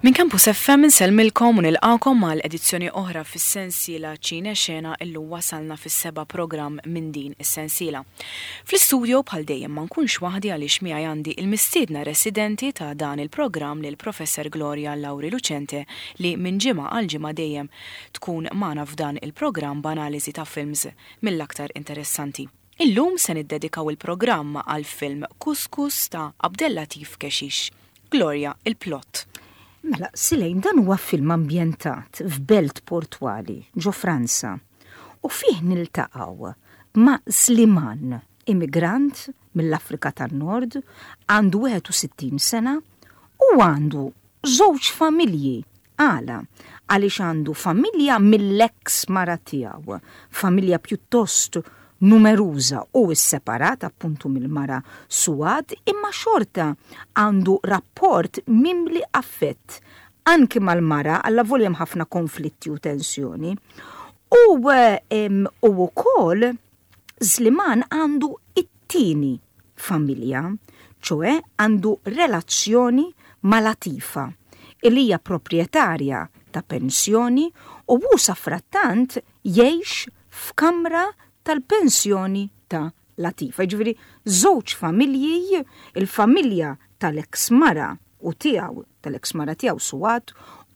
Minn Campus FM insellmilkom u nilqakom għal edizzjoni oħra fis-sensiela Ċine Xena illum wasalna fis-seba' programm minn din is-sensiela. Fl-istudio bħal dejjem ma nkunx waħdi għaliex miegħi għandi il-mistiedna residenti ta' dan il-programm lil Professor Gloria Lauri Lucente li minn ġimgħa għal ġimgħa dejjem tkun magħna f'dan il-programm b'analiżi ta' films mill-aktar interessanti. Illum se niddedikaw il-programm għall-film Couscous ta' Abdellatif Kechiche. Gloria, il-plot. Mela, Silejn, dan huwa film ambjentat f'belt portwali ġo Franza u fih niltaqgħu ma' Sliman, immigrant mill-Afrika tan-Nord, għandu 61 sena u għandu żewġ familji. Għala? Għaliex għandu familja mill-eks mara tiegħu, familja pjuttost numeruża u sseparat appuntu mill-mara Suad, imma xorta għandu rapport mimli affett anki mal-mara allavolja hemm ħafna konflitti u tensjoni. U u wkoll Sliman għandu it-tieni familja, ċoe għandu relazzjoni ma' Latifa, illi hija proprjetarja ta' pensjoni u hu safrattant jgħix f'kamra tal-pensjoni ta' Latifa. Jiġifieri żewġ familji, il-familja tal-eks mara u tiegħu, tal-eks mara tiegħu Suad,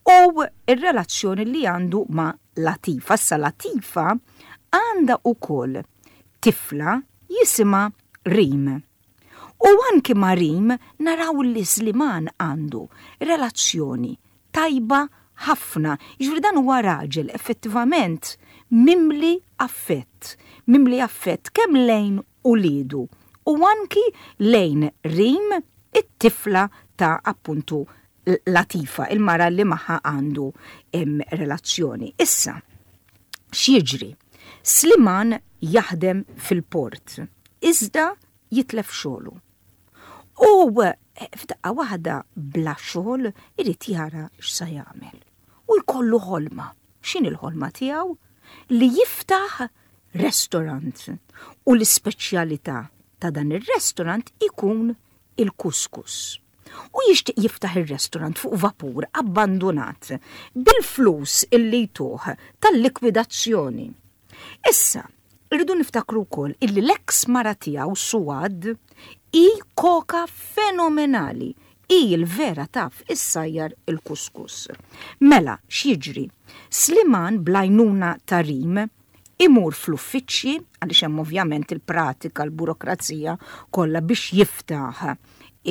u r-relazzjoni li għandu ma' Latifa. Issa Latifa għandha wkoll tifla jisimha Rim. U anki ma' Rim naraw li Sliman għandu relazzjoni tajba ħafna. Jiġifieri dan huwa raġel effettivament mimli affett, mimli affett kemm lejn uliedu u anki lejn Rim it-tifla ta' appuntu Latifa, il-mara li magħha għandu relazzjoni. Issa, x'jiġri? Sliman jaħdem fil-port, iżda jitlef xogħlu. U eh, f'daqqa waħda bla xogħol irid jara x'sa jagħmel. U jkollu ħolma. X'in il-ħolma tiegħu? Li jiftaħ restaurant u l-ispeċjalità ta' dan ir-restaurant ikun il-kuskus. U jixtieq jiftaħ ir-restaurant fuq vapur abbandunat bil-flus illi jtuh tal-likwidazzjoni. Issa, irridu niftakru wkoll illi l-eks mara tiegħu Suad hi koka fenomenali hi l-vera taf issajjar il-kuskus. Mela, x'jiġri? Sliman bl-għajnuna ta' Rim imur fl-uffiċċji, għaliex hemm ovvjament il-pratika, l-burokrazija kollha biex jiftaħ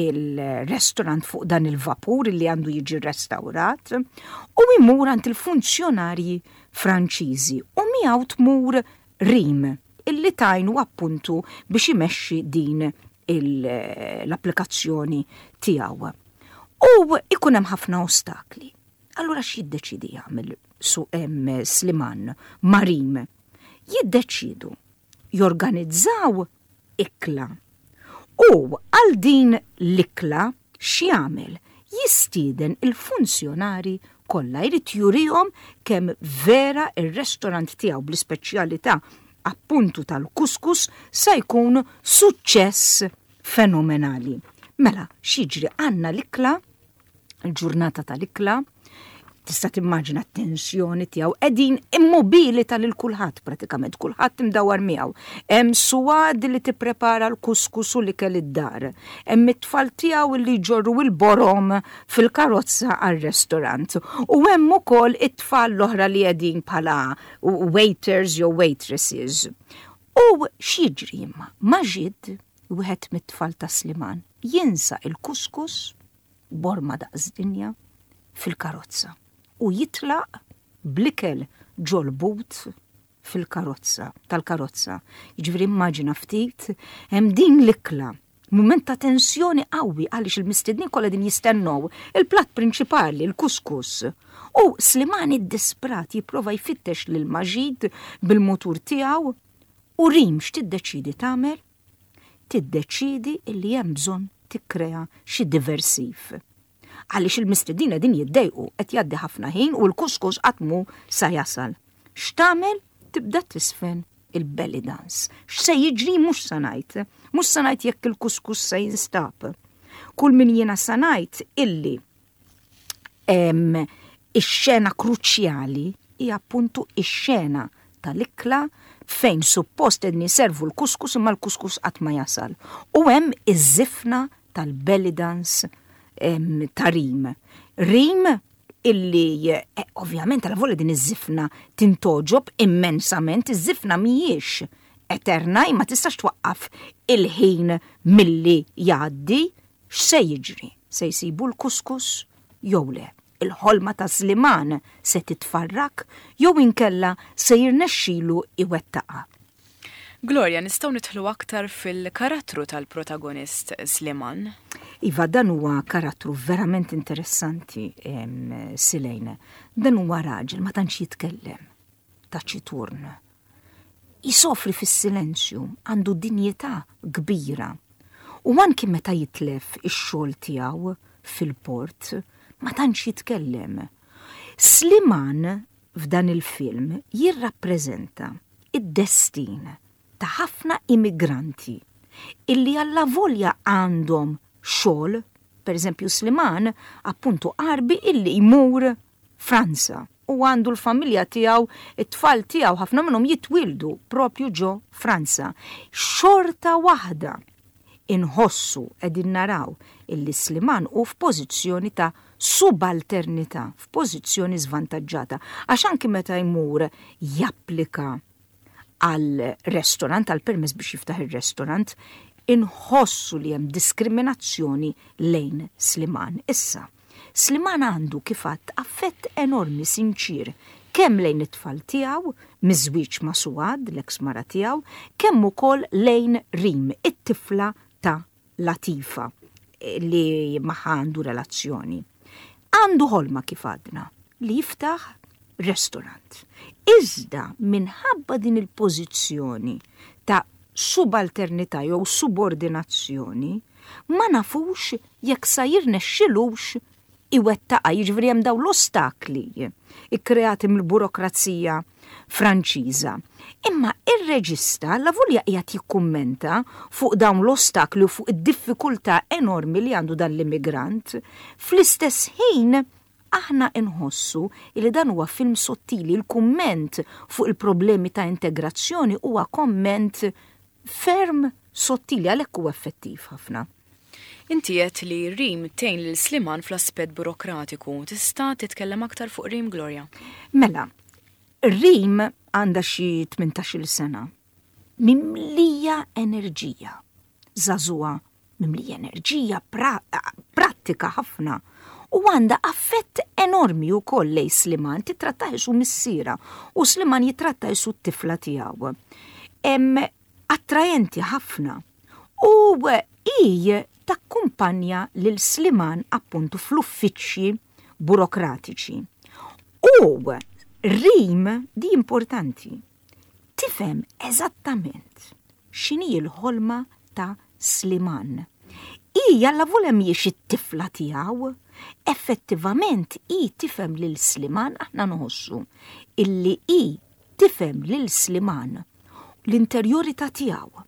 il-restaurant fuq dan il-vapur li għandu jiġi restawrat u imur għand il-funzjonarji Franċiżi u miegħu tmur Rim illi tajnu appuntu biex imexxi din l-applikazzjoni tiegħu. U ikun hemm ħafna ostakli. Allura x'jiddeċidi jagħmel su hemm Sliman Marim? Jiddeċidu jorganizzaw ikla. U għal din l-ikla x'jagħmel? Jistieden il-funzjonari kollha jrid jurihom kemm vera ir-restorant tiegħu bl-ispeċjalità appuntu tal-kuskus sa jkun suċċess fenomenali. Mela, x'jiġri għandna l-ikla il-ġurnata tal-ikla, tista' timmaġina t-tensjoni tiegħu qegħdin immobilita lil kulħadd pratikament, kulħadd imdawar miegħu. Hemm suwad li tipprepara l-kuskus u l-ikel id-dar. Hemm it-tfal tiegħu li jġorru il-borom fil-karozza għar-restorant. U hemm ukoll it-tfal l-oħra li qegħdin bħala waiters jew waitresses. U x'jiġri imma? Maġid, wieħed mit-tfal ta' Sliman, jinsa il-kuskus borma daqs dinja fil-karozza u jitlaq bl-ikel ġol-but fil-karozza, tal-karozza. Jiġifieri immaġina ftit hemm din l-ikla mument ta' tensjoni qawwi għaliex il-mistednin kollha din jistennew il-platt prinċipali, il-kuskus. U Slimani ddisprat jipprova jfittex lil Maġid bil-mutur tiegħu u Rim x'tiddeċidi tagħmel? tiddeċiedi illi hemm bżonn tikkrea xi diversiv. Għaliex il-mistednin qegħdin jiddejqu, qed jgħaddi ħafna ħin u l-kuskus qatt mhu sa jasal. X'tagħmel? Tibda tisfen il-belly dance. X'se jiġri mhux sa ngħid. Mhux sa ngħid jekk il-kuskus se jinstab. Kull min jiena sa ngħid illi. Ix-xena kruċjali hija appuntu ix-xena tal-ikla fejn suppost qegħdin jiservu l-kuskus imma l-kuskus qatt ma jasal. U hemm iż-żifna tal-belly dance ta' Rim. Rim illi eh, ovvjament għal volja din iż-żifna tintgħoġob immensament, iż-żifna mhijiex eterna imma tistax twaqqaf il-ħin milli jgħaddi, x'se jiġri? Se jsibu l-kuskus jew le? Il-ħolma ta' Sliman se titfarrak jew inkella se jirnexxilu jwettaqha? Gloria, nistgħu nidħlu aktar fil-karattru tal-protagonist Sliman? Iva, dan huwa karattru verament interessanti, Silejn. Dan huwa raġel ma tantx jitkellem, taċiturn. Isofri fis-silenzju, għandu dinjità kbira. U anki meta jitlef ix-xogħol tiegħu fil-port, ma tantx jitkellem. Sliman f'dan il-film jirrappreżenta id-destin ta' ħafna immigranti illi allavolja għandhom xogħol, pereżempju Sliman appuntu Għarbi illi jmur Franza u għandu l-familja tiegħu, it-tfal tiegħu ħafna minnhom jitwieldu propju ġo Franza. Xorta waħda inħossu qegħdin naraw illi Sliman hu f'pożizzjoni ta' subalternità, f'pożizzjoni żvantaġġata, għax anki meta jmur japplika għal restaurant, għal permess biex jiftaħ ir-restaurant, inħossu li hemm diskriminazzjoni lejn Sliman. Issa, Sliman għandu kif għadt affett enormi sinċier kemm lejn it-tfal tiegħu, miż-żwieġ ma' Suad, l-eks mara tiegħu, kemm ukoll lejn Rim, it-tifla ta' Latifa li magħha għandu relazzjoni. Għandu ħolma kif għadna li jiftaħ restaurant. Iżda minħabba din il-pożizzjoni ta' subalternità jew subordinazzjoni, ma nafux jekk sa jirnexxilux iwettaqha, jiġifieri hemm dawn l-ostakli kkreati mill-burokrazija Franċiża. Imma ir-reġista allavolja qiegħed jikkummenta fuq dawn l-ostakli u fuq id-diffikultà enormi li għandu dan l-immigrant, fl-istess ħin aħna nħossu li dan huwa film sottili, il-kumment fuq il-problemi ta' integrazzjoni huwa komment ferm sottili għalhekk huwa effettiv ħafna. Inti għedt li Rim tgħin lil Sliman fl-aspett burokratiku. Tista' titkellem aktar fuq Rim, Gloria? Mela, Rim għandha xi 18-il sena. Mimlija enerġija. Żagħżugħa mimlija enerġija, prattika ħafna. U għandha affett enormi wkoll lejn Sliman, titrattah isu missiera u Sliman jitratta isu t-tifla tiegħu. Attraenti ħafna. U hi takkumpanja lil Sliman appuntu fl-uffiċċji burokratiċi. U Rim, di importanti, tifhem eżattament x'inhi l-ħolma ta' Sliman. Hi allavolja mhijiex it-tifla tiegħu, effettivament hi tifhem lil Sliman aħna nħossu illi hi tifhem lil Sliman l-interjorità tiegħu,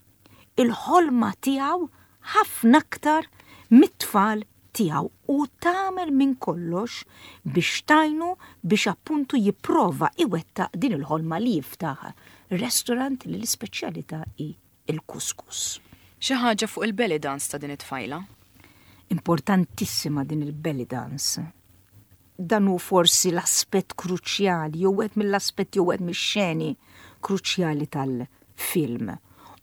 il-ħolma tiegħu ħafna aktar mit-tfal tiegħu u tagħmel minn kollox biex tgħinu biex appuntu jipprova iwettaq din il-ħolma li jiftaħ restaurant li l-ispeċjalità hi l-kuskus. Xi ħaġa fuq il-belly dance ta' din it-tfajla? Importantissima din il-belly dance. Dan hu forsi l-aspett kruċjali, jew wieħed mill-aspetti jew wieħed mix-xeni kruċjali tal-film.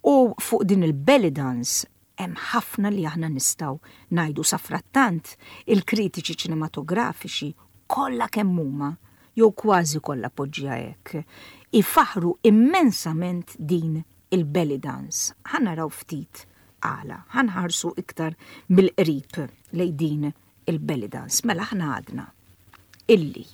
U fuq din il-belly dance hemm ħafna li aħna nistgħu ngħidu safrattant il-kritiċi ċinematografiċi kollha kemm huma jew kważi kollha poġġiha hekk, ifaħħru immensament din il-belly dance. Ħa naraw ftit għala, ħa nħarsu iktar mill-qrib lejn din il-belly dance. Mela aħna għadna illi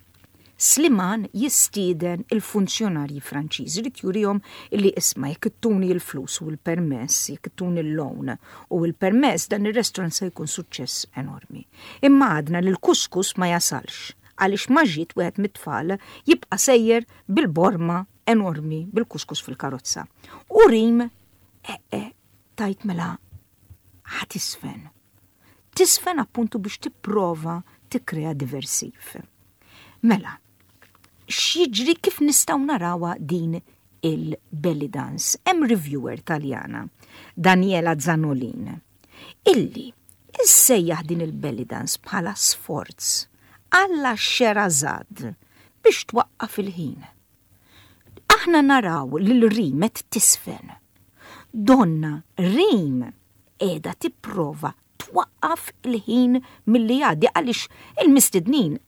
Sliman jistieden il-funzjonarji Franċiżi jrid jurihom illi isma' jekk ittuni l-flus u l-permess, jekk ittuni l-loan u l-permess dan ir-restaurant se jkun suċċess enormi. Imma għadna li l-kuskus ma jasalx għaliex ma ġiet wieħed mit-tfal jibqa' sejjer bil-borma enormi bil-kuskus fil-karozza. U Rim eh, eh, tajt mela ħa tisfen. Tisfen appuntu biex tipprova tikkrea diversiv. Mela, x'jiġri kif nistgħu narawha din il-belly dance? Hemm reviewer Taljana, Daniela Zanolin, illi issejjaħ din il-belly dance bħala sforz alla Sherazade biex twaqqaf il-ħin. Aħna naraw lil Rim qed tisfen. Donna Rim qiegħda tipprova twaqqaf il-ħin milli jgħaddi għaliex il-mistednin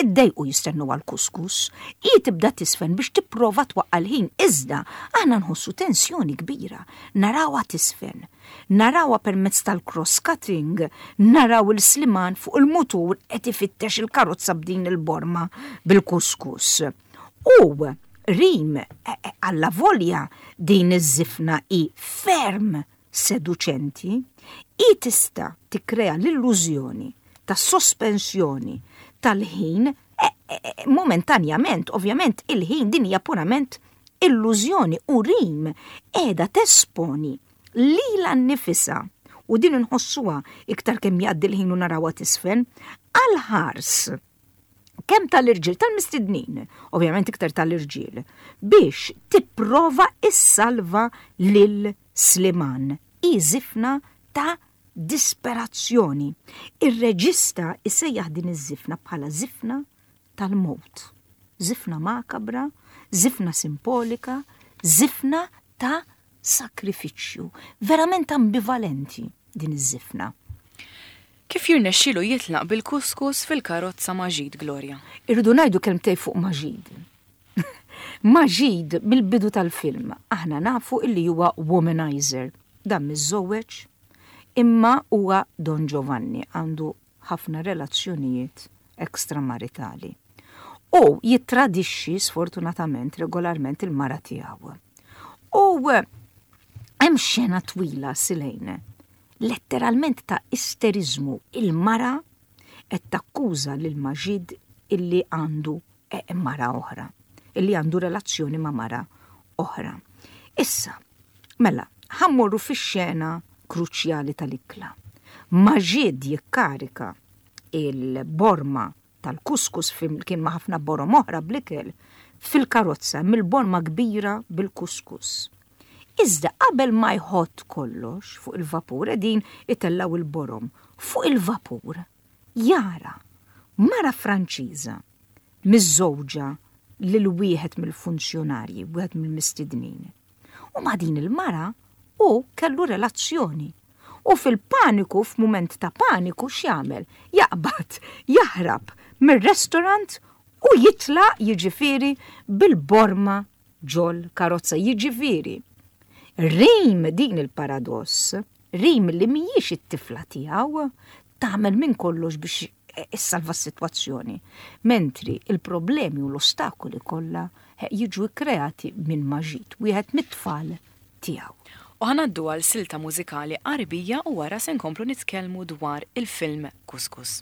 iddejqu jistennu għal kuskus. Hi tibda tisfen biex tipprova twaqqa' l-ħin, iżda aħna nħossu tensjoni kbira. Narawha tisfen. Narawha permezz tal-cross cutting, naraw il-Sliman fuq il-mutur qed ifittex il-karozza b'din il-borma bil-kuskus. U Rim, allavolja din iż-żifna hi ferm seduċenti, hi tista' tikkrea l-illużjoni ta' sospensjoni tal-ħin momentanjament, ovvjament il-ħin din hija purament illużjoni u Rim qiegħda tesponi lilha nnifisha u din inħossuha iktar kemm jgħaddi l-ħin u narawha tisfen għal ħars kemm tal-irġiel tal-mistednin, ovvjament iktar tal-irġiel, biex tipprova issalva lil Sliman. Hi żifna ta' disperazzjoni. Ir-reġista isejjaħ din iż-żifna bħala żifna tal-mewt. Żifna makabra, żifna simpolika, żifna ta' sakrifiċċju. Verament ambivalenti din iż-żifna. Kif jirnexxielu jitlaq bil-kuskus fil-karozza Maġid, Gloria? Irridu ngħidu kelmtejn fuq Maġid. Maġid mill-bidu tal-film aħna nafu illi huwa womanizer. Dan miżżewweġ imma huwa Don Giovanni għandu ħafna relazzjonijiet extramaritali. U jittradixxi sfortunatament regolarment il-mara tiegħu. U hemm xena twila Silejne, letteralment ta' isteriżmu il-mara qed takkuża lil Maġid illi għandu eh, mara oħra, illi għandu relazzjoni ma' mara oħra. Issa, mela, ħammorru fix-xena kruċjali tal-ikla. Maġid jikkarika il-borma tal-kuskus flimkien ma' ħafna borom oħra bl-ikel fil-karozza mill-borma kbira bil-kuskus. Iżda qabel ma jħott kollox fuq il-vapur qegħdin itellgħu il-borom fuq il-vapur jara mara Franċiża miżżewġa lil wieħed mill-funzjonarji, wieħed mill-mistednin. U ma' din il-mara hu kellu relazzjoni. U fil-paniku, f'mument ta' paniku, x'jagħmel? Jaqbad, jaħrab mir-restaurant u jitlaq jiġifieri bil-borma ġol karozza. Jiġifieri, Rim din il-paradoss, Rim li mhijiex it-tifla tiegħu, tagħmel minn kollox biex issalva s-sitwazzjoni, mentri il-problemi u l-ostakoli kollha jiġu kkreati minn Maġid, wieħed mit-tfal tiegħu. U ħa ngħaddu għal silta mużikali Għarbija u wara se nkomplu nitkellmu dwar il-film Kuskus.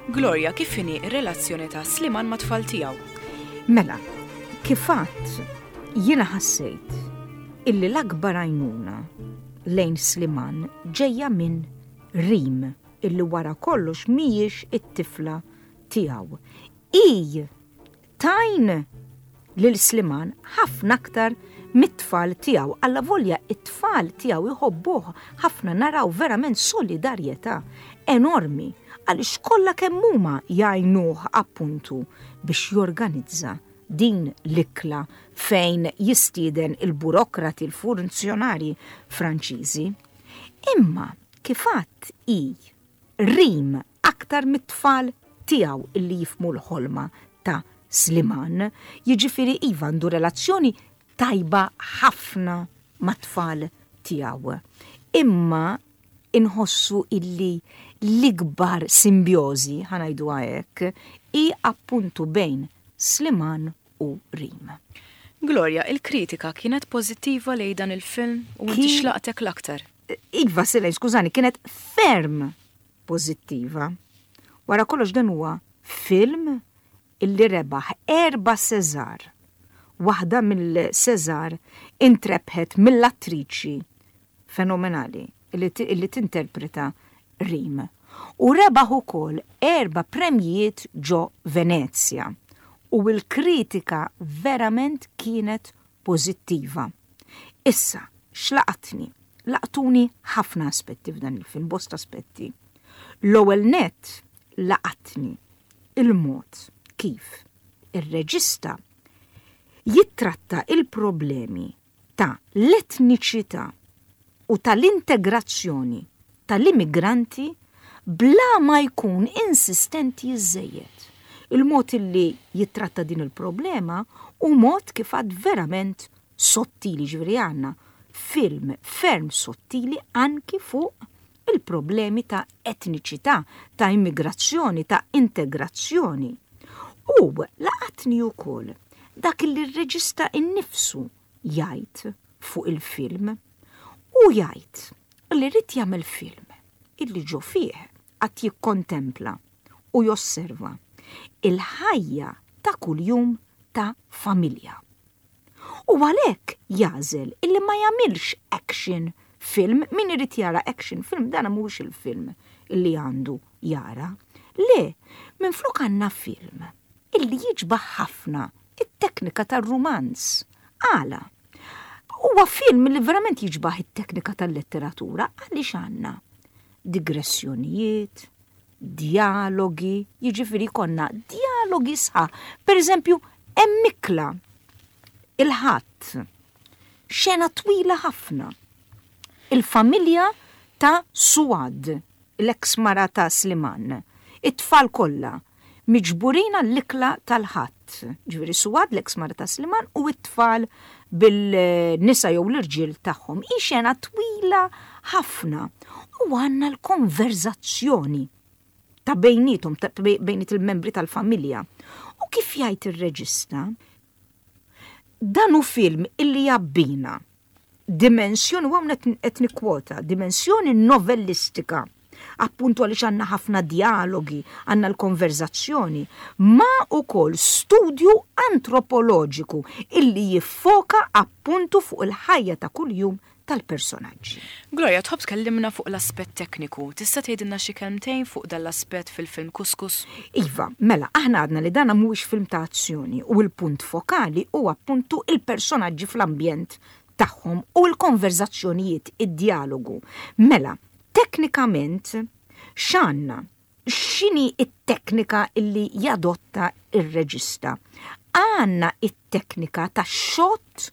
Gloria, kif inhi r-relazzjoni ta' Sliman mat-tfal tiegħu? Mela, kif għadt, jiena ħassejt illi l-akbar għajnuna lejn Sliman ġejja minn Rim illi wara kollox mhijiex it-tifla tiegħu. Hi tgħin lil Sliman ħafna aktar mit-tfal tiegħu. Allavolja it-tfal tiegħu jħobbuh ħafna naraw verament solidarjetà enormi għaliex kollha kemm huma jgħinuh appuntu biex jorganizza din l-ikla fejn jistieden il-burokrati, il-funzjonarji Franċiżi. Imma kif għadt hi Rim aktar mit-tfal tiegħu illi jifhmu l-ħolma ta' Sliman. Jiġifieri iva għandu relazzjoni tajba ħafna mat-tfal tiegħu. Imma inħossu illi l-ikbar simbjożi, ħa ngħiduha hekk, hi appuntu bejn Sliman u Rim. Gloria, il-kritika kienet pożittiva lejn dan il-film u inti x'laqtek l-aktar? Iva, Silej, skużani, kienet ferm pożittiva. Wara kollox dan huwa film illi rebaħ erba' César. Waħda mill-César intrebħet mill-attriċi fenomenali illi tinterpreta Rim. U rebaħ ukoll erba' premjijiet ġo Venezja. U l-kritika verament kienet pożittiva. Issa, x'laqatni? Laqtuni ħafna aspetti f'dan il-film, bosta aspetti. L-ewwel nett laqatni il-mod kif ir-reġista jittratta il-problemi ta' l-etniċità u tal-integrazzjoni tal-immigranti bla ma jkun insistenti żżejjed. Il-mod illi jittratta din il-problema hu mod kif għad verament sottili, ġifieri għandna film ferm sottili anki fuq il-problemi ta' etniċità, ta' immigrazzjoni, ta' integrazzjoni. U laqatni wkoll dak li r-reġista innifsu jgħid fuq il-film. Hu jgħid li ried jagħmel film illi ġo fih qatt jikkontempla u josserva il-ħajja ta' kuljum ta' familja. U għalhekk jagħżel illi ma jagħmilx action film, min irid jara action film dan mhuwiex il-film illi għandu jara. Le, minflok għandna film illi jiġbaħ ħafna it-teknika tar-rumanz. Għala? Huwa film li verament jiġbaħ it-teknika tal-letteratura għaliex għandna digressjonijiet, djalogi, jiġifieri konna djalogi sħaħ. Per eżempju, hemm ikla il-ħadd, xena twila ħafna. Il-familja ta' Suad, l-eks mara ta' Sliman, it-tfal kollha, miġburin għall-ikla tal-Ħadd. Ġifieri Suad, l-eks mara ta' Sliman, u t-tfal bil-nisa jew l-irġiel tagħhom. Hi xena twila ħafna u għandna l-konverzazzjoni ta' bejnietom, ta' bejniet il-membri tal-familja. U kif jgħid ir-reġista, dan hu film illi jabbina dimensjoni, u hawn qed nikkwota, dimensjoni novellistika, appuntu għaliex għandna ħafna djalogi, għandna l-konverzazzjoni, ma ukoll studju antropoloġiku illi jiffoka appuntu fuq il-ħajja ta' kuljum tal-personaġġi. Gloria, tħobb tkellimna fuq l-aspett tekniku. Tista' tgħidilna xi kelmtejn fuq dan l-aspett fil-film Kuskus? Iva, mela, aħna għadna li dana mhuwiex film ta' azzjoni u l-punt fokali hu appuntu il-personaġġi fl-ambjent tagħhom u l-konverzazzjonijiet, id-djalogu. Mela, teknikament x'għandna? X'inhi t-teknika illi jadotta r-reġista? Għandna t-teknika ta' shot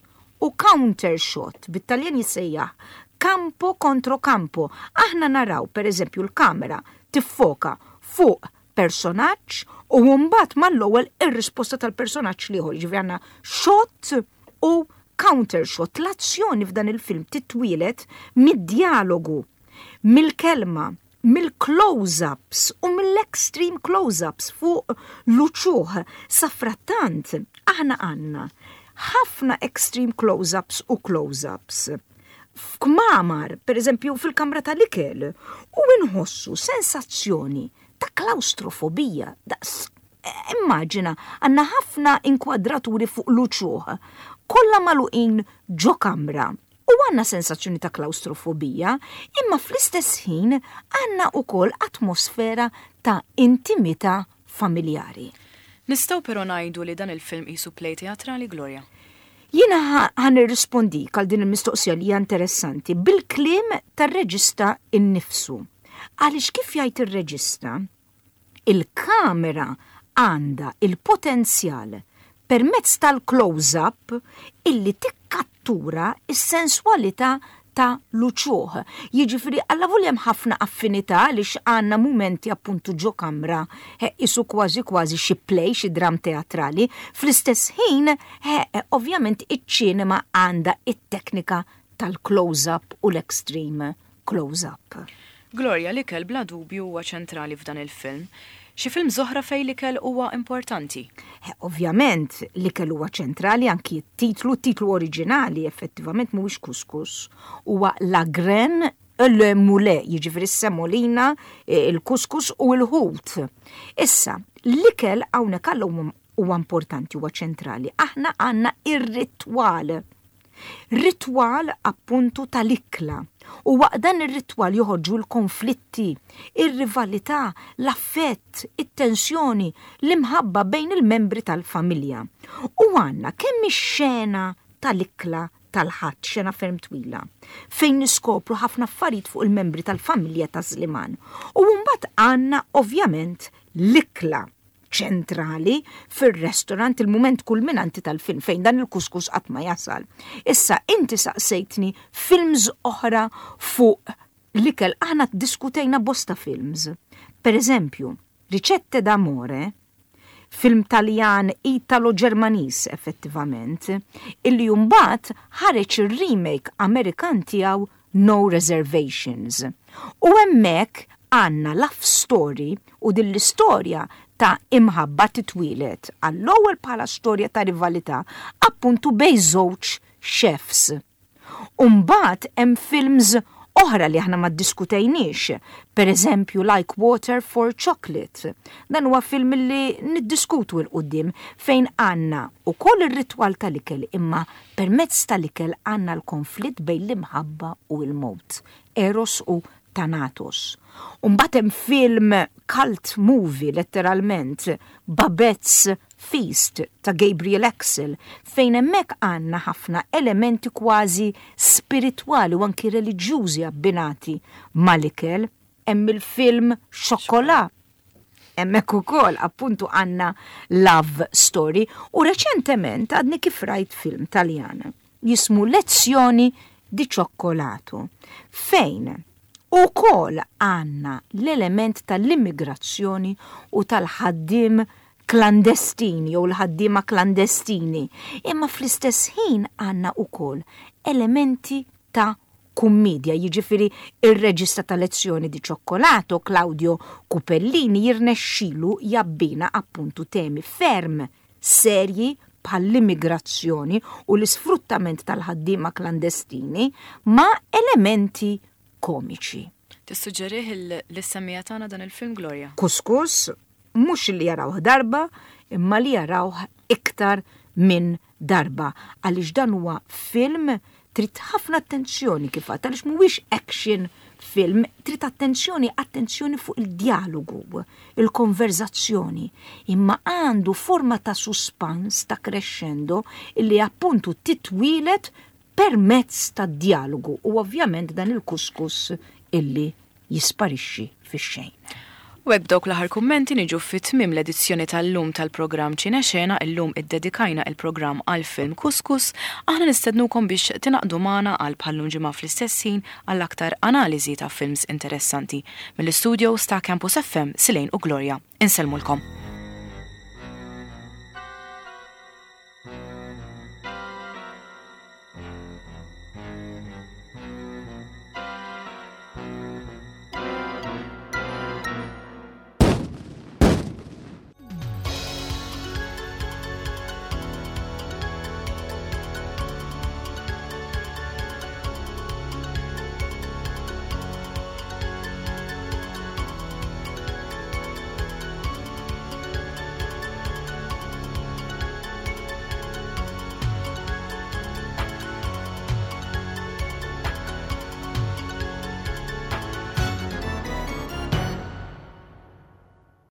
u counter shot, bit-Taljan jissejjaħ campo contro campo. Aħna naraw, per eżempju, l-kamera tiffoka fuq personaġġ u mbagħad mal-ewwel ir-risposta tal-personaġġ l-ieħor, jiġifieri għandna shot u counter shot. L-azzjoni f'dan il-film titwieled mid-djalogu, mill-kelma, mill-close-ups u mill-extreme close-ups fuq l-uċuħ. Safrattant, aħna għandna ħafna extreme close-ups u close-ups. F'kmamar, per eżempju fil-kamra tal-ikel, u nħossu sensazzjoni ta' klawstrofobija, daqs immaġina għandna ħafna inkwadraturi fuq l-uċuħ, kollha magħluqin ġo kamra u għandna sensazzjoni ta' klawstrofobija, imma fl-istess ħin għandna wkoll atmosfera ta' intimità familjari. Nistgħu però ngħidu li dan il-film qisu play teatrali, Gloria? Jiena ħa nirrispondik għal din il-mistoqsija li hija interessanti bil-kliem tar-reġista innifsu. Għaliex kif jgħid ir-reġista, il-kamera għandha il-potenzjal permezz tal-close-up illi tikkattura s-senswalità ta' l-uċuħ. Jiġifieri allavolja hemm ħafna affinità għaliex għandna mumenti appuntu ġo kamra qisu kważi kważi xi play, xi dramm teatrali, fl-istess ħin ovvjament iċ-ċinema għandha it-teknika tal-close-up u l-extreme close-up. Gloria, l-ikel bla dubju huwa ċentrali f'dan il-film. Xi films oħra fejn l-ikel huwa importanti? Ovvjament, l-ikel huwa ċentrali anki t-titlu, t-titlu oriġinali effettivament mhuwiex Couscous, huwa La Graine et le Moulet, jiġifieri s-semolina, il-couscous u l-ħut. Issa, l-ikel hawnhekk alla huwa importanti, huwa ċentrali. Aħna għandna ir-ritwal. Ritwal appuntu tal-ikla. U waqt dan ir-ritwal joħorġu l-konflitti, ir-rivalità, l-affett, it-tensjoni, l-imħabba bejn il-membri tal-familja. U għandna kemm ix-xena tal-ikla tal-Ħadd, xena ferm twila, fejn niskopru ħafna affarijiet fuq il-membri tal-familja ta' Sliman. U mbagħad għandna ovvjament l-ikla ċentrali fir-restaurant il-mument kulminanti tal-film fejn dan il-kuskus qatt ma jasal. Issa inti saqsejtni films oħra fuq l-ikel aħna ddiskutejna bosta films. Per eżempju, Ricette d'amore, film Taljan Italo-Ġermaniż effettivament, illi mbagħad ħareġ ir-remake Amerikan tiegħu No Reservations. U hemmhekk għandna love story u din l-istorja ta' imħabba titwieled għall-ewwel bħala storja ta' rivalità appuntu bejn żewġ chefs. U mbagħad hemm films oħra li aħna ma ddiskutejniex, per eżempju Like Water for Chocolate. Dan huwa film li niddiskutu 'l quddiem fejn għandna ukoll ir-ritwal tal-ikel imma Permezz tal-ikel għandna l-konflitt bejn l-imħabba u l-mewt, Eros u Thanatos. U mbagħad hemm film cult movie letteralment, Babette's Feast ta' Gabriel Axel, fejn hemmhekk għandna ħafna elementi kważi spiritwali u anki reliġjużi abbinati mal-ikel. Hemm il-film Chocolat Hemmhekk ukoll appuntu għandna love story u reċentement għadni kif rajt film Taljan jismu Lezioni di Cioccolato fejn ukoll għandna l-element tal-immigrazzjoni u tal-ħaddiem klandestin jew l-ħaddiema klandestini, imma fl-istess ħin għandna ukoll elementi ta' kummiedja, jiġifieri r-reġista ta' Lezioni di Cioccolato, Claudio Cupellini, jirnexxilu jabbina appuntu temi ferm serji bħall-immigrazzjoni u l-isfruttament tal-ħaddiema klandestini ma' elementi komiċi. Tissuġġerih lis-semmiegħa tagħna dan il-film, Gloria? Kuskus, mhux li jarawh darba, imma li jarawh iktar minn darba għaliex dan huwa film trid ħafna attenzjoni kif għadt għaliex mhuwiex action film, trid attenzjoni, attenzjoni fuq il-djalogu, il-konverzazzjoni, imma għandu forma ta' suspans, ta' crescendo, illi appuntu titwieled permezz ta' djalogu u ovvjament dan il-kuskus illi jisparixxi fix-xejn. U hekk b'dawk l-aħħar kummenti niġu fi tmiem l-edizzjoni tal-lum tal-programm Ċinexena, illum iddedikajna il-programm għall-film Kuskus, aħna nistednukom biex tingħaqdu magħna għal bħal-lum ġimgħa fl-istess ħin għal aktar analiżi ta' films interessanti. Mill-istudios ta' Campus FM, Silane u Gloria, insellmulkom.